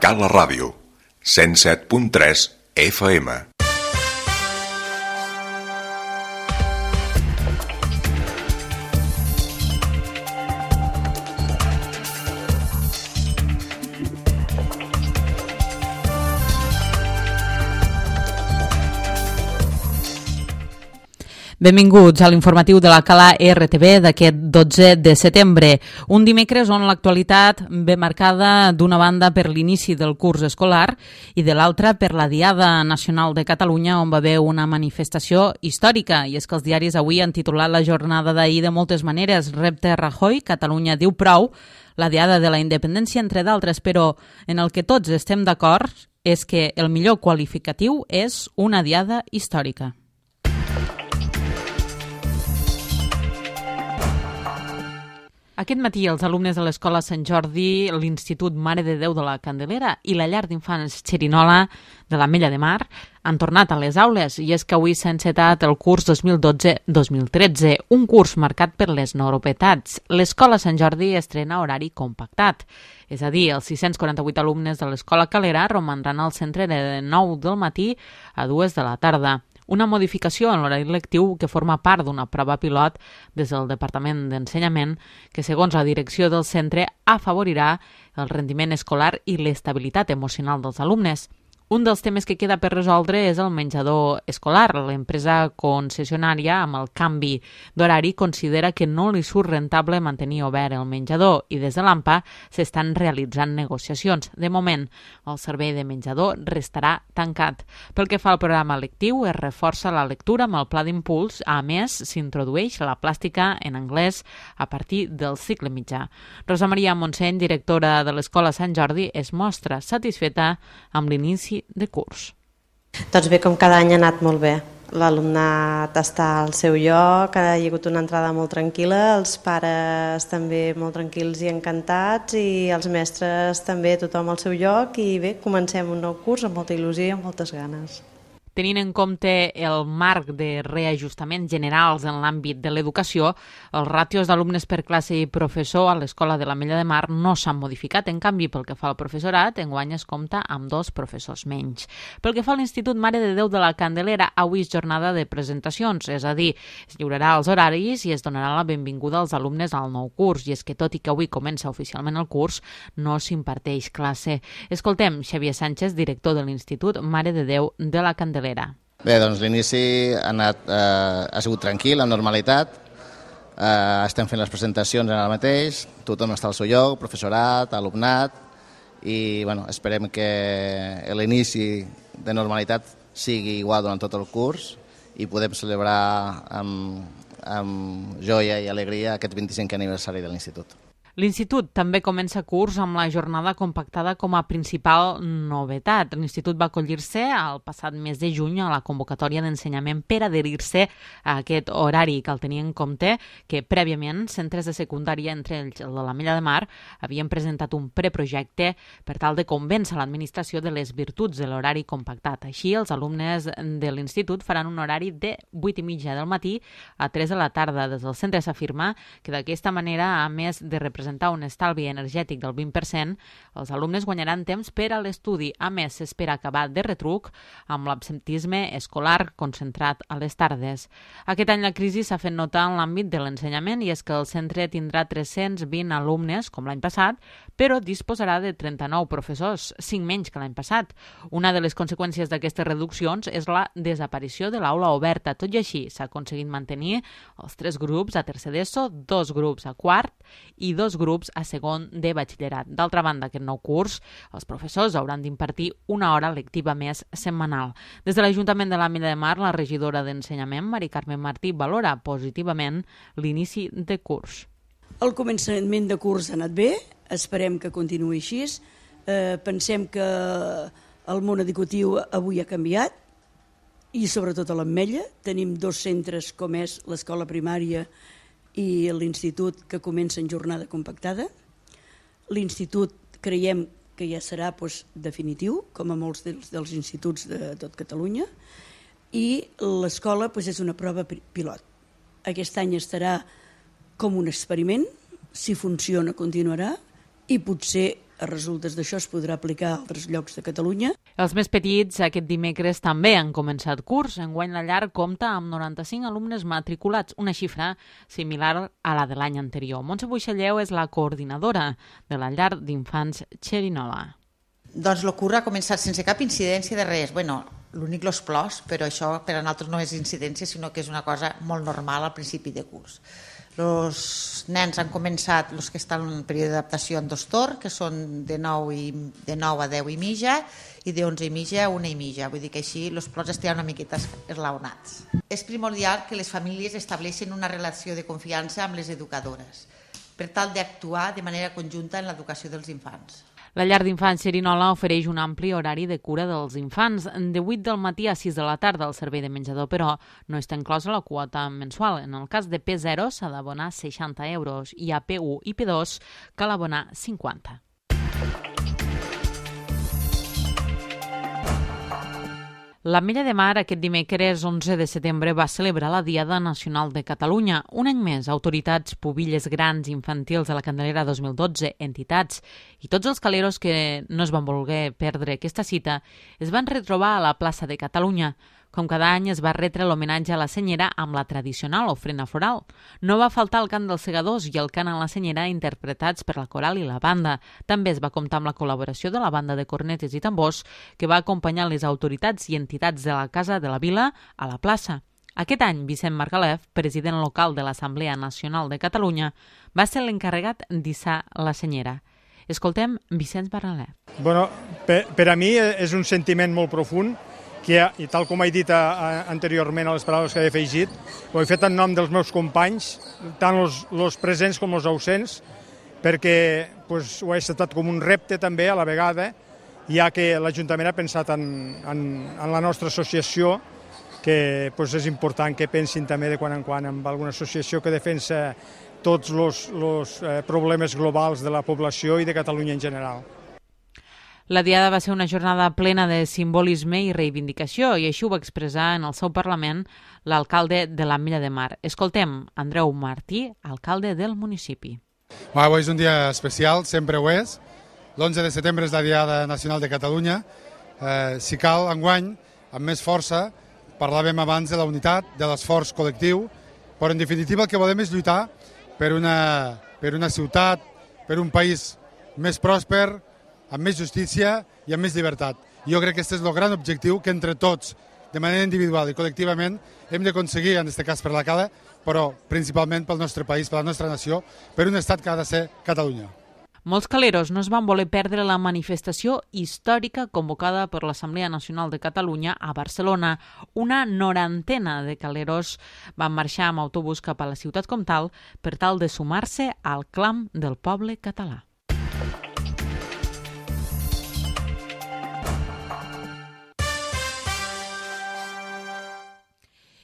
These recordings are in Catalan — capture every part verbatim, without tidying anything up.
Cala Ràdio, cent set punt tres F M. Benvinguts a l'informatiu de la Cala R T V d'aquest dotze de setembre, un dimecres on l'actualitat ve marcada d'una banda per l'inici del curs escolar i de l'altra per la Diada Nacional de Catalunya, on va haver una manifestació històrica. I és que els diaris avui han titulat la jornada d'ahir de moltes maneres: repte Rajoy, Catalunya diu prou, la Diada de la Independència, entre d'altres, però en el que tots estem d'acord és que el millor qualificatiu és una Diada històrica. Aquest matí els alumnes de l'Escola Sant Jordi, l'Institut Mare de Déu de la Candelera i la Llar d'Infants Xerinola de l'Ametlla de Mar han tornat a les aules, i és que avui s'ha encetat el curs dos mil dotze dos mil tretze, un curs marcat per les novetats. L'Escola Sant Jordi estrena horari compactat, és a dir, els sis-cents quaranta-vuit alumnes de l'Escola Calera romandran al centre de nou del matí a dues de la tarda. Una modificació en l'horari lectiu que forma part d'una prova pilot des del Departament d'Ensenyament que, segons la direcció del centre, afavorirà el rendiment escolar i l'estabilitat emocional dels alumnes. Un dels temes que queda per resoldre és el menjador escolar. L'empresa concessionària, amb el canvi d'horari, considera que no li surt rentable mantenir obert el menjador i des de l'A M P A s'estan realitzant negociacions. De moment, el servei de menjador restarà tancat. Pel que fa al programa lectiu, es reforça la lectura amb el pla d'impuls. A més, s'introdueix la plàstica en anglès a partir del cicle mitjà. Rosa Maria Montseny, directora de l'Escola Sant Jordi, es mostra satisfeta amb l'inici de curs. Doncs bé, com cada any ha anat molt bé. L'alumnat està al seu lloc, ha hagut una entrada molt tranquil·la, els pares també molt tranquils i encantats, i els mestres també, tothom al seu lloc, i bé, comencem un nou curs amb molta il·lusió i amb moltes ganes. Tenint en compte el marc de reajustaments generals en l'àmbit de l'educació, els ràtios d'alumnes per classe i professor a l'Escola de l'Ametlla de Mar no s'han modificat. En canvi, pel que fa al professorat, enguany es compta amb dos professors menys. Pel que fa a l'Institut Mare de Déu de la Candelera, avui és jornada de presentacions, és a dir, es lliurarà els horaris i es donarà la benvinguda als alumnes al nou curs. I és que, tot i que avui comença oficialment el curs, no s'imparteix classe. Escoltem Xavier Sánchez, director de l'Institut Mare de Déu de la Candelera. Bé, doncs l'inici ha, anat, eh, ha sigut tranquil, amb normalitat. Eh, estem fent les presentacions ara mateix, tothom està al seu lloc, professorat, alumnat, i bueno, esperem que l'inici de normalitat sigui igual durant tot el curs i podem celebrar amb, amb joia i alegria aquest vint-i-cinquè aniversari de l'Institut. L'Institut també comença curs amb la jornada compactada com a principal novetat. L'Institut va acollir-se el passat mes de juny a la convocatòria d'ensenyament per adherir-se a aquest horari. Cal tenir en compte que prèviament centres de secundària, entre ells el de l'Ametlla de Mar, havien presentat un preprojecte per tal de convèncer l'administració de les virtuts de l'horari compactat. Així, els alumnes de l'Institut faran un horari de vuit i mitja del matí a tres de la tarda. Des del centre s'afirma que d'aquesta manera, a més de representar un estalvi energètic del vint per cent, els alumnes guanyaran temps per a l'estudi. A més, s'espera acabar de retruc amb l'absentisme escolar concentrat a les tardes. Aquest any la crisi s'ha fet notar en l'àmbit de l'ensenyament, i és que el centre tindrà tres-cents vint alumnes, com l'any passat, però disposarà de trenta-nou professors, cinc menys que l'any passat. Una de les conseqüències d'aquestes reduccions és la desaparició de l'aula oberta. Tot i així, s'ha aconseguit mantenir els tres grups a tercer d'ESO, dos grups a quart i dos grups a segon de batxillerat. D'altra banda, aquest nou curs, els professors hauran d'impartir una hora lectiva més setmanal. Des de l'Ajuntament de l'Ametlla de Mar, la regidora d'Ensenyament, Mari Carmen Martí, valora positivament l'inici de curs. El començament de curs ha anat bé, esperem que continuï així. Eh, pensem que el món educatiu avui ha canviat, i sobretot a l'Ametlla. Tenim dos centres com és l'escola primària i l'institut que comença en jornada compactada. L'institut creiem que ja serà doncs, definitiu, com a molts dels, dels instituts de tot Catalunya, i l'escola doncs, és una prova pilot. Aquest any estarà com un experiment, si funciona continuarà, i potser a resultes d'això es podrà aplicar a altres llocs de Catalunya. Els més petits aquest dimecres també han començat curs. Enguany la llar compta amb noranta-cinc alumnes matriculats, una xifra similar a la de l'any anterior. Montse Buixalleu és la coordinadora de la llar d'infants Xerinola. Doncs el curs ha començat sense cap incidència de res. Bueno, l'únic los plors, però això per a nosaltres no és incidència, sinó que és una cosa molt normal al principi de curs. Els nens han començat, els que estan en període d'adaptació, en dos torns, que són de nou, i, de nou a deu i mitja, i de onze i mitja a una i mitja. Vull dir que així els plors estaran una miqueta eslaonats. És primordial que les famílies estableixin una relació de confiança amb les educadores, per tal d'actuar de manera conjunta en l'educació dels infants. La llar d'infants Xerinola ofereix un ampli horari de cura dels infants, de vuit del matí a sis de la tarda al servei de menjador, però no està inclosa la quota mensual. En el cas de P zero s'ha d'abonar seixanta euros i a P u i P dos cal abonar cinquanta. L'Ametlla de Mar aquest dimecres onze de setembre va celebrar la Diada Nacional de Catalunya. Un any més, autoritats, pubilles grans infantils de la Candelera dos mil dotze, entitats i tots els caleros que no es van voler perdre aquesta cita es van retrobar a la plaça de Catalunya. Com cada any es va retre l'homenatge a la Senyera amb la tradicional ofrena floral. No va faltar el cant dels segadors i el cant a la Senyera interpretats per la coral i la banda. També es va comptar amb la col·laboració de la banda de cornetes i tambors que va acompanyar les autoritats i entitats de la Casa de la Vila a la plaça. Aquest any, Vicent Margalef, president local de l'Assemblea Nacional de Catalunya, va ser l'encarregat d'hissar la Senyera. Escoltem Vicent Margalef. Bueno, per, per a mi és un sentiment molt profund que, i tal com he dit a, a, anteriorment a les paraules que he afegit, ho he fet en nom dels meus companys, tant els presents com els ausents, perquè pues, ho he acceptat com un repte també a la vegada, ja que l'Ajuntament ha pensat en, en, en la nostra associació, que pues, és important que pensin també de quan en quan en alguna associació que defensa tots els problemes globals de la població i de Catalunya en general. La Diada va ser una jornada plena de simbolisme i reivindicació i així ho va expressar en el seu Parlament l'alcalde de l'Ametlla de Mar. Escoltem Andreu Martí, alcalde del municipi. Avui és un dia especial, sempre ho és. l'onze de setembre és la Diada Nacional de Catalunya. Eh, si cal, enguany, amb més força, parlàvem abans de la unitat, de l'esforç col·lectiu, però en definitiva el que volem és lluitar per una, per una ciutat, per un país més pròsper, amb més justícia i amb més llibertat. Jo crec que aquest és el gran objectiu que entre tots, de manera individual i col·lectivament, hem d'aconseguir, en aquest cas per la Cala, però principalment pel nostre país, per la nostra nació, per un estat que ha de ser Catalunya. Molts caleros no es van voler perdre la manifestació històrica convocada per l'Assemblea Nacional de Catalunya a Barcelona. Una norantena de caleros van marxar amb autobús cap a la ciutat comtal per tal de sumar-se al clam del poble català.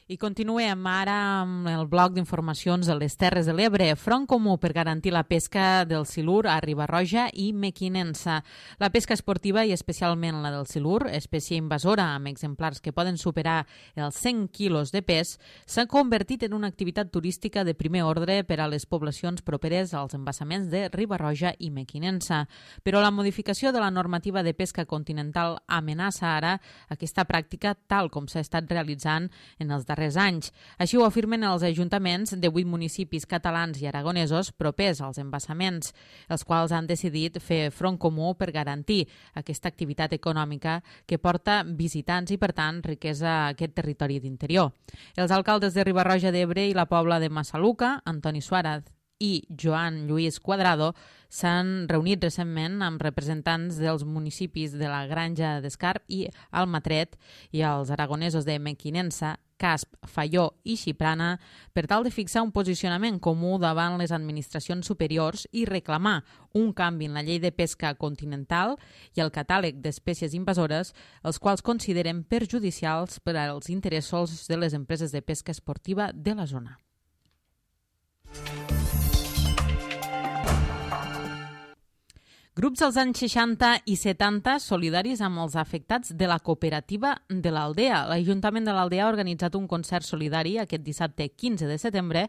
I continuem ara amb el bloc d'informacions de les Terres de l'Ebre. Front Comú per garantir la pesca del silur a Riba-roja i Mequinensa. La pesca esportiva i especialment la del silur, espècie invasora amb exemplars que poden superar els cent quilos de pes, s'ha convertit en una activitat turística de primer ordre per a les poblacions properes als embassaments de Riba-roja i Mequinensa. Però la modificació de la normativa de pesca continental amenaça ara aquesta pràctica tal com s'ha estat realitzant en els darrers anys. Així ho afirmen els ajuntaments de vuit municipis catalans i aragonesos propers als embassaments, els quals han decidit fer front comú per garantir aquesta activitat econòmica que porta visitants i, per tant, riquesa a aquest territori d'interior. Els alcaldes de Riba-roja d'Ebre i la Pobla de Massaluca, Antoni Suárez i Joan Lluís Cuadrado, s'han reunit recentment amb representants dels municipis de la Granja d'Escarp i Almatret i els aragonesos de Mequinensa, Casp, Faió i Xiprana per tal de fixar un posicionament comú davant les administracions superiors i reclamar un canvi en la llei de pesca continental i el catàleg d'espècies invasores, els quals consideren perjudicials per als interessos de les empreses de pesca esportiva de la zona. Grups dels anys seixanta i setanta solidaris amb els afectats de la cooperativa de l'Aldea. L'Ajuntament de l'Aldea ha organitzat un concert solidari aquest dissabte quinze de setembre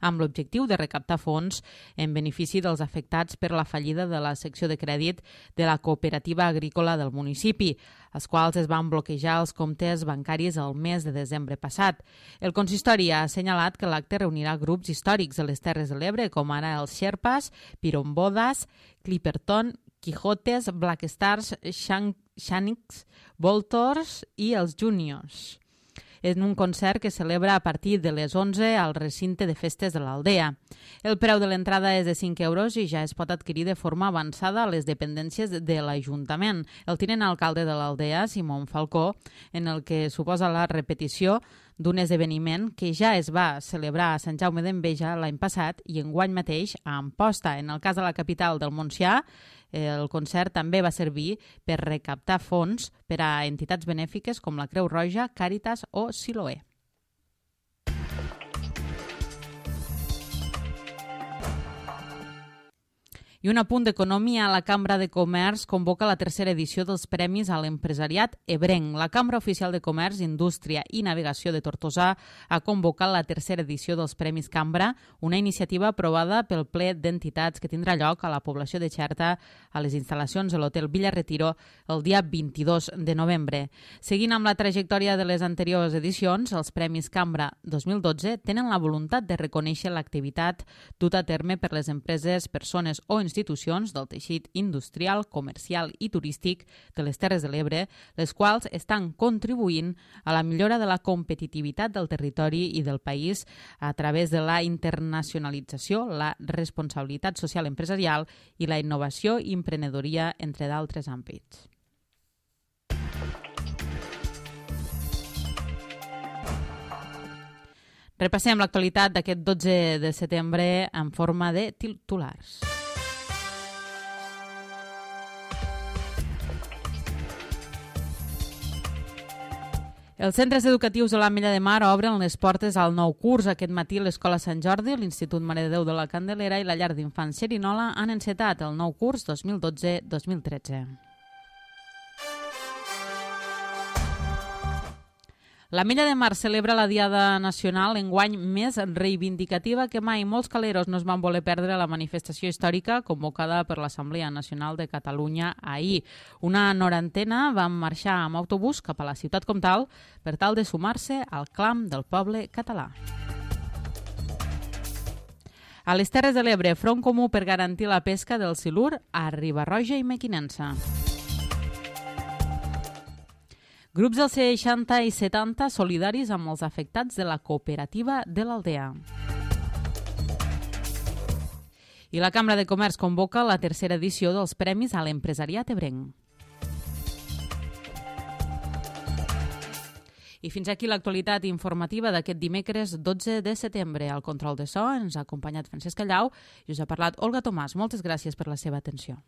amb l'objectiu de recaptar fons en benefici dels afectats per la fallida de la secció de crèdit de la cooperativa agrícola del municipi, els quals es van bloquejar els comptes bancaris el mes de desembre passat. El consistori ha assenyalat que l'acte reunirà grups històrics de les Terres de l'Ebre, com ara els Sherpas, Pirombodas, Clipperton, Quijotes, Black Stars, Shaniks, Voltors i els Juniors, en un concert que celebra a partir de les onze al recinte de festes de l'Aldea. El preu de l'entrada és de cinc euros i ja es pot adquirir de forma avançada a les dependències de l'Ajuntament. El tinent alcalde de l'Aldea, Simón Falcó, en el que suposa la repetició d'un esdeveniment que ja es va celebrar a Sant Jaume d'Enveja l'any passat i enguany mateix a Amposta. En el cas de la capital del Montsià, el concert també va servir per recaptar fons per a entitats benèfiques com la Creu Roja, Càritas o Siloé. I un apunt d'economia, la Cambra de Comerç convoca la tercera edició dels Premis a l'Empresariat Ebrenc. La Cambra Oficial de Comerç, Indústria i Navegació de Tortosa ha convocat la tercera edició dels Premis Cambra, una iniciativa aprovada pel ple d'entitats que tindrà lloc a la població de Xerta a les instal·lacions de l'Hotel Villa Retiro el dia vint-i-dos de novembre. Seguint amb la trajectòria de les anteriors edicions, els Premis Cambra dos mil dotze tenen la voluntat de reconèixer l'activitat duta a terme per les empreses, persones o institucions institucions del teixit industrial, comercial i turístic de les Terres de l'Ebre, les quals estan contribuint a la millora de la competitivitat del territori i del país a través de la internacionalització, la responsabilitat social empresarial i la innovació i emprenedoria, entre d'altres àmbits. Repassem l'actualitat d'aquest dotze de setembre en forma de titulars. Els centres educatius de l'Ametlla de Mar obren les portes al nou curs. Aquest matí l'Escola Sant Jordi, l'Institut Mare de Déu de la Candelera i la Llar d'Infants Xerinola han encetat el nou curs dos mil dotze dos mil tretze. L'Ametlla de Mar celebra la Diada Nacional enguany més reivindicativa que mai. Molts caleros no es van voler perdre la manifestació històrica convocada per l'Assemblea Nacional de Catalunya ahir. Una norantena van marxar amb autobús cap a la ciutat comtal per tal de sumar-se al clam del poble català. A les Terres de l'Ebre, Front Comú per garantir la pesca del silur a Riba-roja i Mequinensa. Grups dels seixanta i setanta solidaris amb els afectats de la cooperativa de l'Aldea. I la Cambra de Comerç convoca la tercera edició dels Premis a l'Empresariat Ebrenc. I fins aquí l'actualitat informativa d'aquest dimecres dotze de setembre. Al control de so ens ha acompanyat Francesc Callau i us ha parlat Olga Tomàs. Moltes gràcies per la seva atenció.